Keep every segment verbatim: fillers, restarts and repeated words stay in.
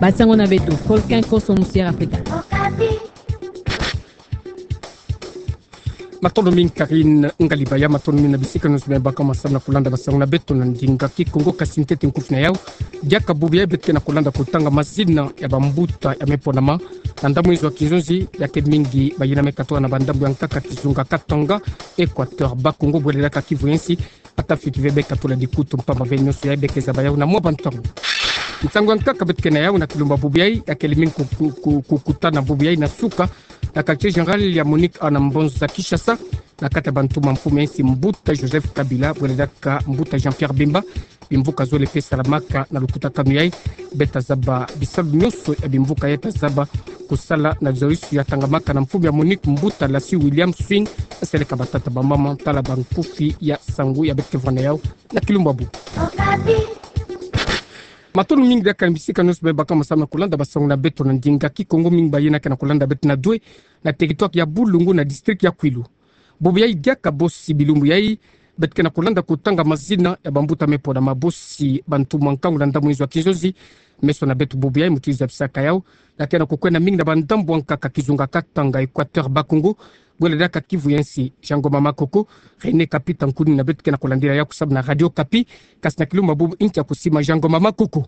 Basango na beto, Volcan Koso Musière Afrika. Matondo mingi Karine Ngalibaya, matondo mingi na bisika nyonso bima baka masamu na kulanda basango na beto na ndinga Kikongo. Kasi ntete nkufi na yau, diaka bubu yai beto ke na kulanda kotanga mazina ya bambuta ya me ponama na ndambu nzo ya kinzonzi, ya ke mingi bayina me katula na bandambu ya nkaka kizunga Katanga, Equateur, Bas-Congo, bwele diaka Kivu ya nsi, ata fioti ve beka tula dikutu mpamba ve nyonso yai beka zaba yau na mwa bantangu. Nsangu ya nkaka beto ke na yau na kilumbu bubu yai, ya ke mingi ku-, ku-, ku-, kukutana bubu yai na suka, na quartier général ya Monique awa na mbonza Kinshasa, na kati ya bantumwa mfumu ya nsi mbuta Joseph Kabila, bwele diaka mbuta Jean-Pierre Bemba, bimvuka zole pe salamaka na lukutakanu yai, beta zaba bisalu nyonso ya bimvuka yai ta zaba kusala na zolisu ya tangamaka na mfumu ya Monique mbuta Lassie William Swing, seleka batata bamama, tala bankufi ya nsangu ya beto ke vwanda yau na kilumbu bubu. Matondo mingi diaka na bisika nyonso bima baka masamu na kulanda basango na beto na ndinga Kikongo, mingi bayina ke na kulanda beto na dwe, na territoire ya Bulungu na district ya Kwilu. Bubu yai diaka bosi bilumbu yai, beto ke na kulanda kotanga mazina ya bambuta me ponama, bosi bantumwa nkangu na ndambu nzo ya kinzonzi. Meso na beto bubu yai muti zabisaka yau, ya ke na kukwenda mingi na bandambu ya nkaka kizunga Katanga, Equateur, Bas-Congo, bwele diaka Kivu ya nsi. Jean Ngoma Makoko, René Kapita Nkuni na beto ke na kulandila yau kusamu na Radio Okapi. Kasi na kilumbu bubu ntia kusima Jean Ngoma Makoko.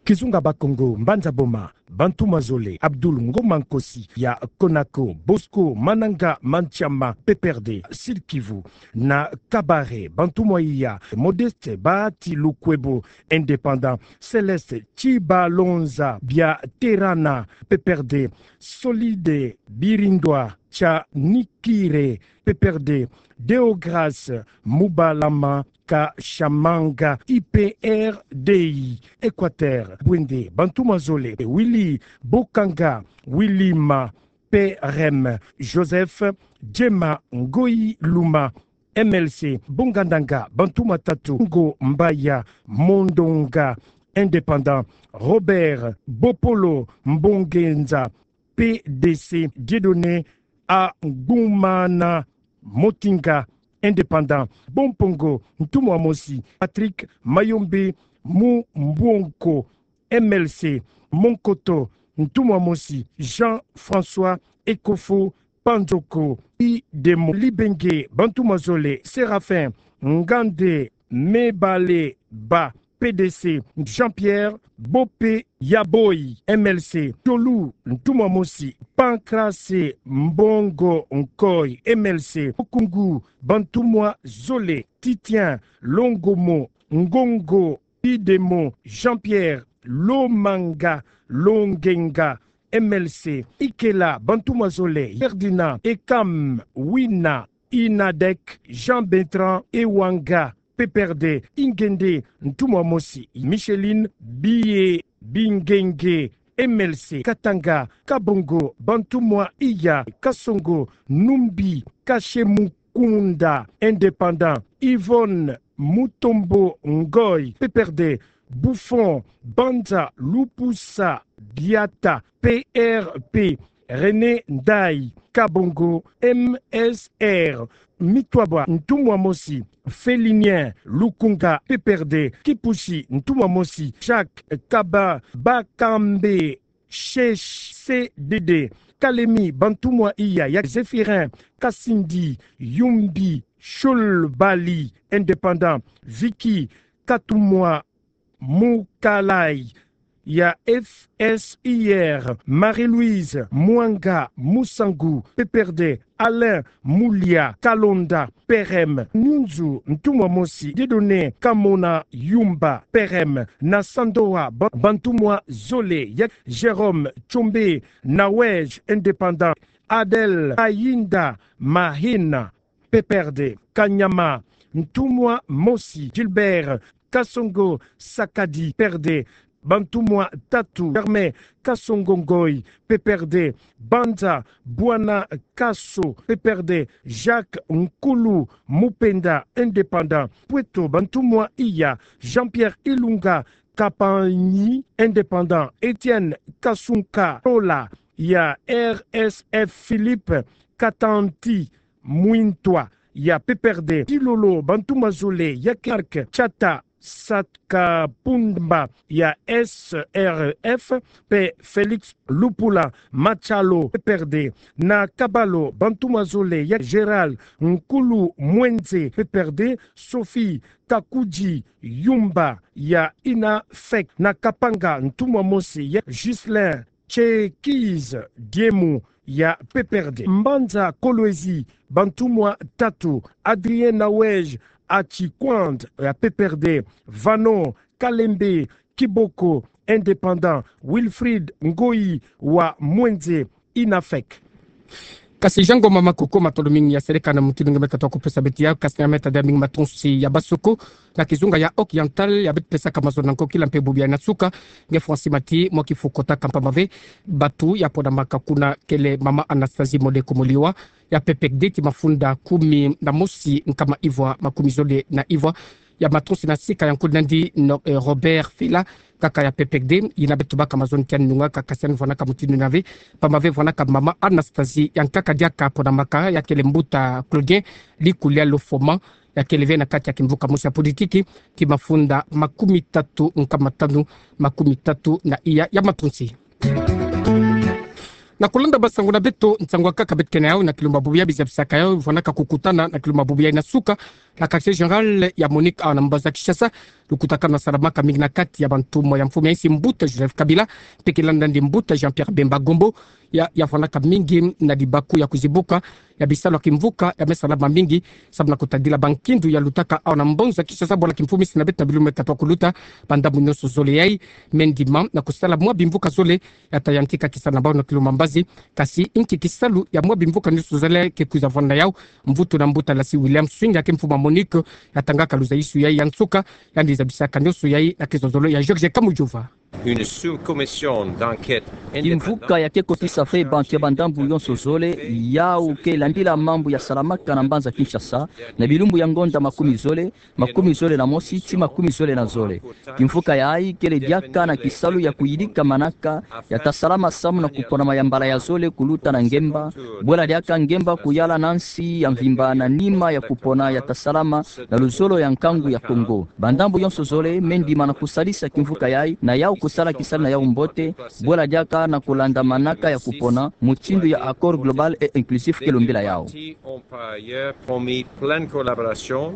Kizunga Bas-Congo, Mbanza Boma, bantumwa zole, Abdoul Ngoma Nkosi ya Konako, Bosco Mananga Manchama, P P R D, Sud-Kivu, na Kabare, bantumwa iya, Modeste Bahati Lukwebo, indépendant, Céleste Tshibalonza Biaterana, P P R D, Solide Birindwa Tshanikire, P P R D, Deograce Mubalama Kashamanga, U P R D I, Equateur, Bwende, bantumwa zole, Willy Bokanga, Willy Ma, P R M, Joseph Djema Ngoyi Luma, M L C, Bonga Ndanga, bantumwa tatu, Ngo Mbaya Mondonga, indépendant, Robert Bopolo Mbongenza, P D C, Dieudonné Angumana Motinga, indépendant, Bompongo, ntumwa mosi, Patrick Mayombe Mumbonko, M L C, Monkoto, ntumwa mosi, Jean-François Ekofo Panzoko, Idemo Libenge, bantumwa zole, Séraphin Ngande Mebale Ba, P D C, Jean-Pierre Bope Yaboy, M L C, Tolu, ntumwa mosi, Pancrace Mbongo Nkoy, M L C, Okungu, bantumwa zole, Titien Longomo, Ngongo Idemo, Jean-Pierre Lomanga Longenga, M L C, Ikela, bantumwa zole, Ferdinand Ekam Wina, Inadek, Jean-Bertrand Ewanga, P P R D, Ingende, ntumwa mosi, Micheline Biye Bingenge, M L C, Katanga, Kabongo, bantumwa iya, Kasongo Numbi, Kashemu Kunda, indépendant, Yvonne Mutombo Ngoy, P P R D, Buffon, Banza Lupusa Biata, P R P, René Ndai, Kabongo, M S R, Mitwabwa, ntumwa mosi, Félinien Lukunga, P P R D, Kipushi, ntumwa mosi, Jacques Kaba, Bakambe, Shesh, C D D, Kalemi, bantumwa iya, ya Zéphirin Kasindi, Yumbi, Shulbali, indépendant, Vicky Katumwa Mukalai, ya F S I R, Marie-Louise Mwanga Musangu, P P R D, Alain Mulia Kalonda, P R M, Nyunzu, ntumwa mosi, Dieudonné Kamona Yumba, P R M, na Sandoa, ba-, bantumwa zole, ya Jérôme Tshombe, Nawej, indépendant, Adèle Ayinda Mahina, P P R D, Kanyama, ntumwa mosi, Gilbert Kasongo Sakadi, P P R D, bantumwa tatu, Germain Kasongo Ngoy, P P R D, Banza Bwana Kaso, P P R D, Jacques Nkulu Mupenda, indépendant, Pweto, bantumwa iya, Jean-Pierre Ilunga Kapanyi, indépendant, Étienne Kasunka Tola, ya R S F, Philippe Katanti Mwintwa, ya P P R D, Tilolo, bantumwa zole, ya Marc Tshata, Satkapumba ya S R F, pe Felix Lupula Machalo, P P R D. Na Kabalo, bantumwa zole ya Gérald Nkulu Mwenze, P P R D, Sophie Kakudji Yumba ya INAFEC. Na Kapanga, ntumwa mosi ya Ghislain Tchekiz Diemu ya P P R D. Mbanza Kolwezi, bantumwa tatu, Adrien Nawej Achikwand ya P P R D, Vano Kalembe Kiboko, indépendant, Wilfried Ngoyi wa Mwenze, INAFEC. Kasi Jean Ngoma Makoko, matondo mingi ya seleka na mutindu nge me katoa kupesa beto ya, kasi na meta dia mingi matonsi ya basuku na kizunga ya Occidental ya beto pesaka mazono na nkokila mpe bubu ya ina suka. Nge Francis Mati, mwa kifu kotaka mpamba ve batu ya ponamaka kuna kele mama Anastasie Modeko Moliwa ya P P R D, ti mafunda kumi na mosi nkama ivwa makumi zole na ivwa. Ya matonsi na sika ya nkudi nandi no, eh, Robert Fela, kaka ya P P R D, ina beto baka mazono kiani nungaka, kasi ani vwanaka mutindu nina ve, mpamba ve vwanaka mama Anastasie, ya nkaka diaka ponamaka, ya kele mbuta Claudien Likulia Lofoma, ya kele ve na kati ya kimvuka mosi ya politiki, ti mafunda makumi tatu nkama tanu, makumi tatu na iya ya matonsi. Na kulanda basangu na beto, nsangu akaka beto kena yau, na kilumba bubu ya bizabisaka yau, vwanaka kukutana na kilumba bubu ya ina suka na quartier général ya Monique awa na mbanza Kinshasa. Lukutakanu lwasalamaka mingi na kati ya bantumwa ya mfumu ya insi mbuta Joseph Kabila, mpe kilanda nandi mbuta Jean-Pierre Bemba Gombo, ya, ya vwanaka mingi na libaku ya kuzibuka ya bisalu ya kimvuka ya me salama mingi, samu na kutadila bankindu ya lutaka awa na mbanza Kinshasa, bwala kimfumu insi na beto na bilumbu me katoa kuluta. Ba ndambu nyonso zole yai me ndima na kusala mwa bimvuka zole ya ta yantika kisalu na bau na kilumba mbazi. Kasi inki kisalu ya mwa bimvuka nyonso zole ke kwiza vwanda yau? Mvutu na mbuta Lassie William Swing, ya ke mfumu a Monique, ya tangaka luzaisu yai ya nsuka, yandi zabisaka nyonso yai na kizozolo ya George Kamujova. Une sous-commission d'enquête indépendante. Kimvuka ya ke kotisa fe bantu ya ba ndambu nyonso zole, yau ke landila mambu ya salamaka na mbanza Kinshasa, na bilumbu ya ngonda makumi zole, makumi zole na mosi, ti makumi zole na zole. Kimvuka yai kele diaka na kisalu ya kuyidika manaka ya ta salama samu na kupona mayambala ya zole kuluta na ngemba, bwela diaka ngemba kuyala na nsi ya mvimba na nima ya kupona ya ta salama na luzolo ya nkangu ya Kongo. Ba ndambu nyonso zole me ndima na kusalisa kimvuka yai, na yau kusala kisalu na yau mbote, bwela diaka na kulanda manaka ya kupona, mutindu ya accord global et inclusif ke lombila yau. Ont par ailleurs promis pleine collaboration.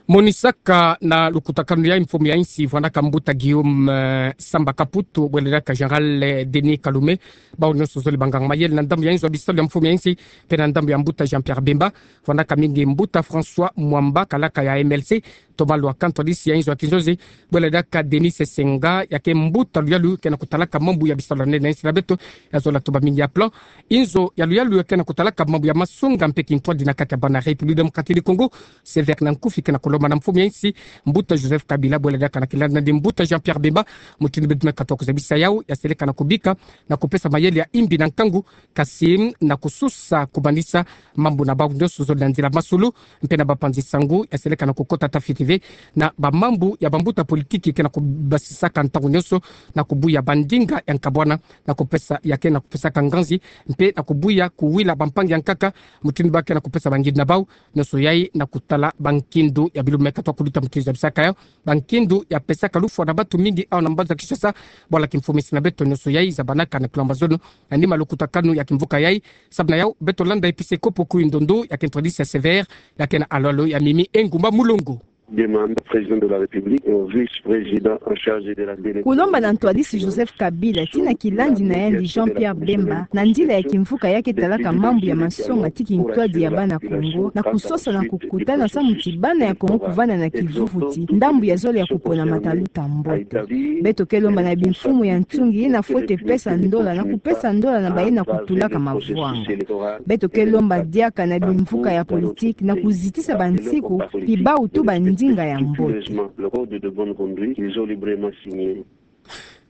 Monisaka na lukutakanu yai mfumu ya insi, vwanaka mbuta Guillaume, eh, Samba Kaputu, bwela diaka général, eh, Denis Kalume, bau nyonso zole banganga mayele na ndambu ya inzo ya bisalu ya mfumu ya insi, mpe na ndambu ya mbuta Jean-Pierre Bemba, vwanaka mingi mbuta François Mwamba, kalaka ya M L C, Thomas Lwaka, ntwadisi ya inzo ya kinzonzi, bwela diaka Denis Sesenga, ya ke mbuta luyalu ke na kutalaka mambu ya bisalu ya nene na insi na beto, ya zola tumba mingi ya plan. Inzo ya luyalu ya ke na kutalaka mambu ya masonga mpe kintwadi na kati ya bana République Démocratique du Congo, Sévère Nankufi, ke na kulomba na mfumu ya insi, mbuta Joseph Kabila, bwela diaka na kilanda nandi mbuta Jean-Pierre Bemba, mutindu beto me katoa kuzabisa yau, ya seleka na kubika na kupesa mayele ya imbi na nkangu, kasi na kususa kumanisa mambu na bau nyonso zole na nzila masolo, mpe na bapanzi sangu, ya seleka na kukota ta fiti ve na bamambu ya bambuta politiki ke na kubasisaka ntangu nyonso na kubuya bandinga ya nkabwana, na kupesa, ya ke na kupesaka nganzi, mpe na kubuya kuwila bampangi ya nkaka, mutindu ba ke na kupesa bangindu na bau, nyonso yai na kutala bankindu ya bilumbu me katoa kuluta, mutindu zabisaka yau, bankindu ya pesaka lufwa na batu mingi awa na mbanza Kinshasa, bwala kimfumu insi na beto, nyonso yai zabanaka na kilomba zono na nima lukutakanu ya kimvuka yai. Samu na yau, beto landa episkopo Kuindondo, ya ke ntwadisi ya Sévère, ya ke na alo-alo ya Mimi Engumba Mulongo. Demande au président de la République, au vice-président en charge de la délégation. Kulomba na ntwadisi Joseph Kabila, ti na kilandi na yandi Jean-Pierre Bemba, na nzila ya kimvuka ya ke talaka mambu ya masonga ti kintwadi ya bana Kongo, na kusosa na kukutana samu ti bana ya Kongo kuvanda na kivuvuti, ndambu ya zole ya kupona mataluta mbote. Beto ke lomba na bimfumu ya ntungi, na fwete pesa ndola, na kupesa ndola na baye na kutulaka mavwanga. Beto ke lomba diaka na bimvuka ya politiki na kuzitisa bansiku, pi bau tu bandinga ya mbote.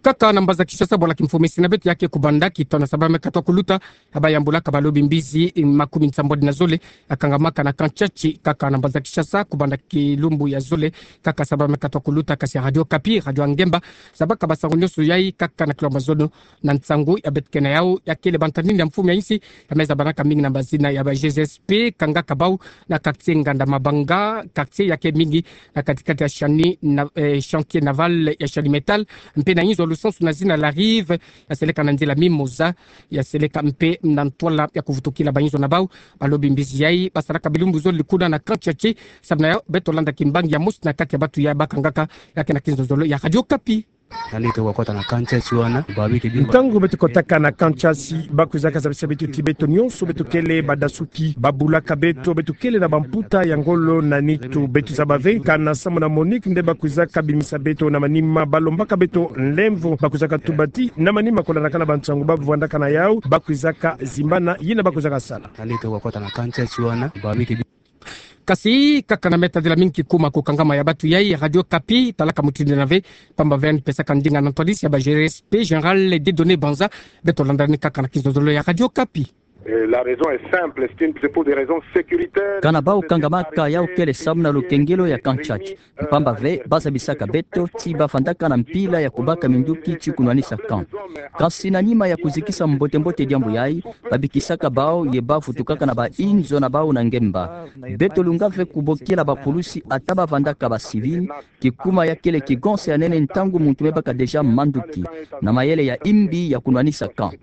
Kaka na mbanza Kinshasa, bwala kimfumu esi na beto ya ke kubanda kitono saba me katwa kuluta, ya bayambulaka balobi mbizi makumi nsambwadi na zole ya kangamaka na camp Tshatshi, kaka na mbanza Kinshasa, kubanda kilumbu ya zole, kaka saba me katwa kuluta, kasi ya Radio Okapi, radio ya ngemba, zabaka basango nyonso yayi kaka na kilo mazono na nsangu ya beto ke na yawu, ya kele bantadini ya mfumu ya insi, ya me zabanaka mingi na bazina ya ba G S P, kangaka bawu na quartier Nganda Mabanga, quartier ya ke mingi na katikati ya Shani na, eh, chantier naval ya Shani Metal, mpe na inzo lusansu na zina La Rive, ya seleka na nzila Mimosa, ya seleka mpe na ntwala ya kuvutukila ba inzo na bawu. Balobi mbizi yayi basalaka bilumbu zole kuna na camp Tshatshi, samu na yawu beto landa kimbangi ya mosi na kati ya bato ya bakangaka, ya ke na kinzonzolo ya Radio Okapi. Ntango beto kotaka na camp Tshatshi, ba kwizaka zabisa beto ti beto nyonso beto kele badasuki, babulaka beto, beto kele na bamputa ya ngolo na nitu. Beto zaba ve kana samu na MONUC nde ba kwizaka bimisa beto na manima, balombaka beto nlemvo, ba kwizaka tuba ti na manima kolandaka na bansangu ba vwandaka na yawu, ba kwizaka zimbana yina ba kwizaka sala. Kasi kaka na me tadila mingi kikuma kukangama ya bato yayi, Radio Okapi talaka mutindu yina ve, pamba ve yandi pesaka ndinga na ntwadisi ya ba G S P, Général Dieudonné Banza. Beto landa ni kaka na kinzonzolo ya Radio Okapi. Euh, la raison est simple, c'est une, c'est pour des raisons sécuritaires. Kana bawu kangamaka yawu kele samu na lukengelo ya camp Tshatshi. Pamba ve, ba zabisaka beto ti ba fandaka na mpila ya kubaka minduki ti kunwanisa camp. Kasi na nima ya kuzikisa mbote-mbote diambu yayi, ba bikisaka bawu ye ba vutukaka na ba inzo na bawu na ngemba. Beto lunga ve kubokila ba pulusi ata ba vandaka ba civil, kikuma ya kele kigonsa ya nene ntangu muntu me baka déjà manduki, na mayele ya imbi ya kunwanisa camp.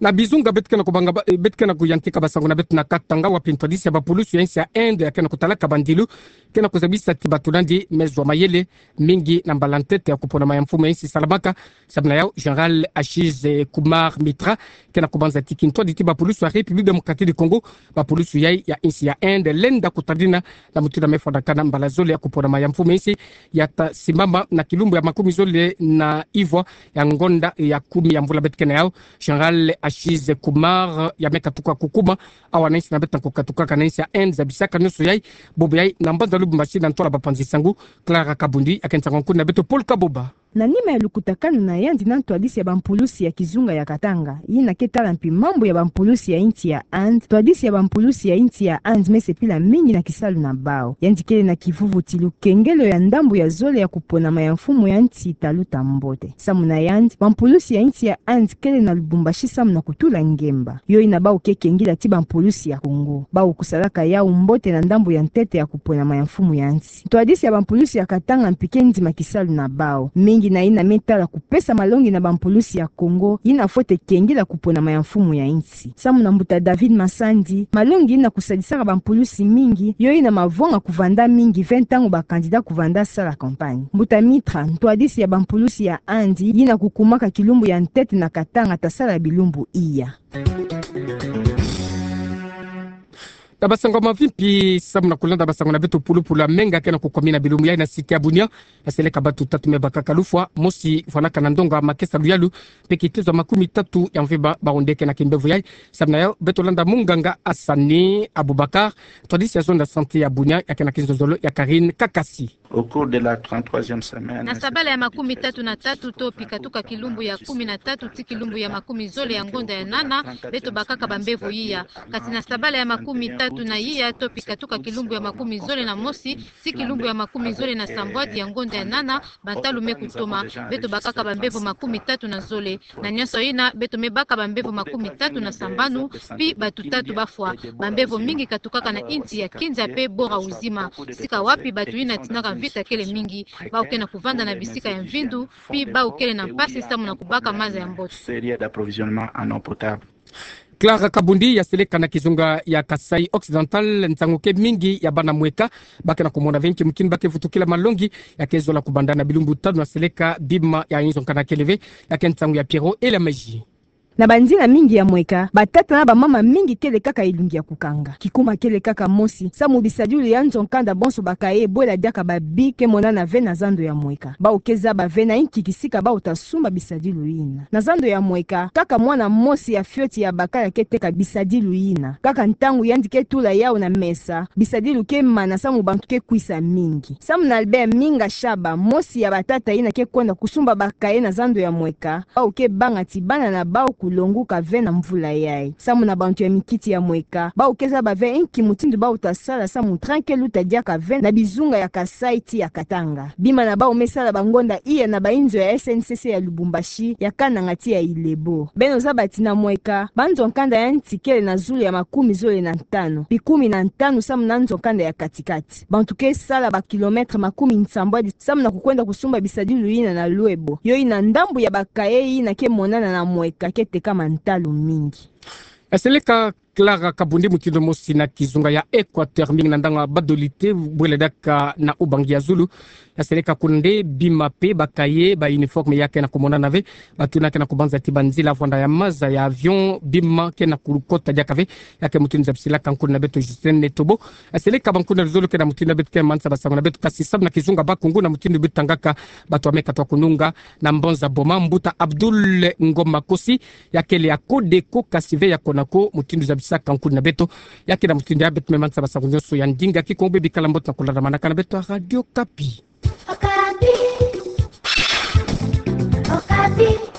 Na Bizunga beto ke na kubanga ba, eh, beto ke na kuyantika basango na beto na Katanga, wapi ntwadisi ya ba pulusi ya insi ya Inde ya ke na kutalaka bandilu ke na kuzabisa ti bato nandi me zwa mayele mingi na mbala ntete ya kuponama ya mfumu ya insi salamaka. Samu na yawu, Général Ashish Kumar Mitra ke na kubanza ti kintwadi ti ba pulusi ya République Démocratique du Congo, ba pulusi yayi ya insi ya Inde lenda kutadina na mutindu ya me fwanakana mbala zole ya kuponama ya mfumu ya insi, ya ta simbama na kilumbu ya makumi zole na ivwa ya ngonda ya kumi ya mvula beto ke na yawu. Général Ashish Kumar ya me katuka kukuma awa na insi na beto na kukatukaka na insi ya Inde, zabisaka nyonso yayi, bobo yayi na mbanza Lubumbashi na ntwala bapanzi sango. Clara Kabundi ya ke nsangu nkuna na beto Paul Kaboba. Na nima ya lukutakanu na yandi na ntwadisi ya ba mpulusi ya kizunga ya Katanga, yina ke tala mpi mambu ya ba mpulusi ya insi ya Inde, ntwadisi ya ba mpulusi ya insi ya Inde me sepila mingi na kisalu na bawu. Yandi kele na kivuvu ti lukengelo ya ndambu ya zole ya kuponama ya mfumu ya insi taluta mbote. Samu na yandi, ba mpulusi ya insi ya Inde kele na Lubumbashi samu na kutula ngemba. Yo yina bawu ke kengila ti ba mpulusi ya Congo. Bawu kusalaka yawu mbote na ndambu ya ntete ya kuponama ya mfumu ya insi. Ntwadisi ya ba mpulusi ya Katanga mpi ke ndima kisalu na bawu. Mingi na yina me tala kupesa malongi na ba mpulusi ya Congo, yina fwete kengila kuponama ya mfumu ya insi. Samu na mbuta David Masandi, malongi yina kusadisaka ba mpulusi mingi, yo yina mavwanga kuvanda mingi ve ntangu ba candidat kuvanda sala campagne. Mbuta Mitra, ntwadisi ya ba mpulusi ya Inde, yina kukumaka kilumbu ya ntete na Katanga ta sala bilumbu iya. Na basango ya mavimpi, samu na kulanda basango na beto, pulupulu ya menga ke na kukwamina bilumbu yayi na site ya Bunia. Ya seleka bato tatu me bakaka lufwa, mosi fwanaka na ndonga makesa luyalu, mpe kitezo ya makumi tatu ya mvimba, bawu nde ke na kimbevo yayi. Samu na yawu, beto landa munganga Hassani Aboubacar, ntwadisi ya zone ya santé ya Bunia, ya ke na kinzonzolo ya Karine Kakasi. Au cours de la trente-troisième semaine, na sabala ya makumi tatu na tatu to pika tuka kilumbu ya kumi na tatu ti kilumbu ya makumi zole ya ngonda ya nana, beto bakaka bambevo iya. Kasi na sabala ya makumi tatu na iya to pika tuka kilumbu ya makumi zole na mosi ti kilumbu ya makumi zole na sambwadi ya ngonda ya nana, bantalu me kutoma, beto bakaka bambevo makumi tatu na zole. Na nyonso yina, beto me baka bambevo makumi tatu na sambanu, pi bato tatu bafwa. Bambevo mingi katukaka na insi ya Kindia pe bora uzima, sika wapi bato yina tindaka mvita kele mingi, bawu ke na kuvanda na bisika ya mvindu, pi bawu kele na mpasi samu na kubaka maza ya mbote. Clara Kabundi, ya seleka na kizunga ya Kasaï Occidental, nsangu ke mingi ya bana mweka ba ke na kumona ve nki mukini ba ke vutukila malongi, ya ke zola kubanda na bilumbu tanu na seleka bima ya inzo nkana kele ve. Ya ke nsangu ya Pierrot Elameji. Na banzila mingi ya mweka, batata na bamama mingi kele kaka elungi ya kukanga. Kikuma kele kaka mosi, samu bisadilu ya nzo-nkanda bonso ba cahier bwela diaka babi ke monana ve na zando ya mweka. Bawu ke zaba ve na inki kisika bawu ta sumba bisadilu yina. Na zando ya mweka, kaka mwana mosi ya fioti ya bakala ke teka bisadilu yina. Kaka ntangu yandi ke tula yawu na mesa, bisadilu ke mana samu bantu ke kwisa mingi. Samu na Albert Minga Shaba, mosi ya batata yina ke kwenda kusumba ba cahier na zando ya mweka, bawu ke banga ti bana na bawu kulonguka ve na mvula yayi. Samu na bantu ya mikiti ya mweka, bawu ke zaba ve inki mutindu bawu ta sala samu train ke luta diaka ve na bizunga ya Kasaï ti ya Katanga. Bima na bawu me sala bangonda iya na bainzo ya S N C C ya Lubumbashi, ya Kananga ti ya Ilebo. Beno zaba ti na mweka, banzo-nkanda ya nsi kele na zulu ya makumi zole na ntanu, bikumi na ntanu samu na nzo-nkanda ya katikati. Bantu ke sala ba kilomètre makumi nsambwadi samu na kukwenda kusumba bisadilu yina na lwebo. Yo yina ndambu ya ba cahier yina ke monana na mweka ke tekama ntalu mingi. Ya seleka Clara Kabundi, mutindu mosi na kizunga ya Equateur, mingi na ndanga badolite bwela diaka na ubangi ya zulu. Ya seleka kuna nde bima pe ba cahier, ba uniforme ya ke na kumonana ve, bato yina ke na kubanza ti banzila, vwanda ya maza, ya avion, bima ke na kukota diaka ve. Ya ke mutindu zabisila ka nkuna na beto Justine Netobo. Ya seleka ba nkuna luzolo ke na mutindu na beto ke manisa ba sango na beto, kasi samu na kizunga Bakongo, na mutindu beto tangaka, bato ya meka twa kununga na mbanza Boma, mbuta Abdoul Ngoma Kosi, ya kele ya Codeco, kasi ve ya Conaco, mutindu zabisila ka nkuna na beto. Ya ke na mutindu ya beto me manisa ba sango nyonso ya ndinga. Kikongo, bikala mbote na kulanda manaka na beto ya Radio Okapi. Okapi. Okapi.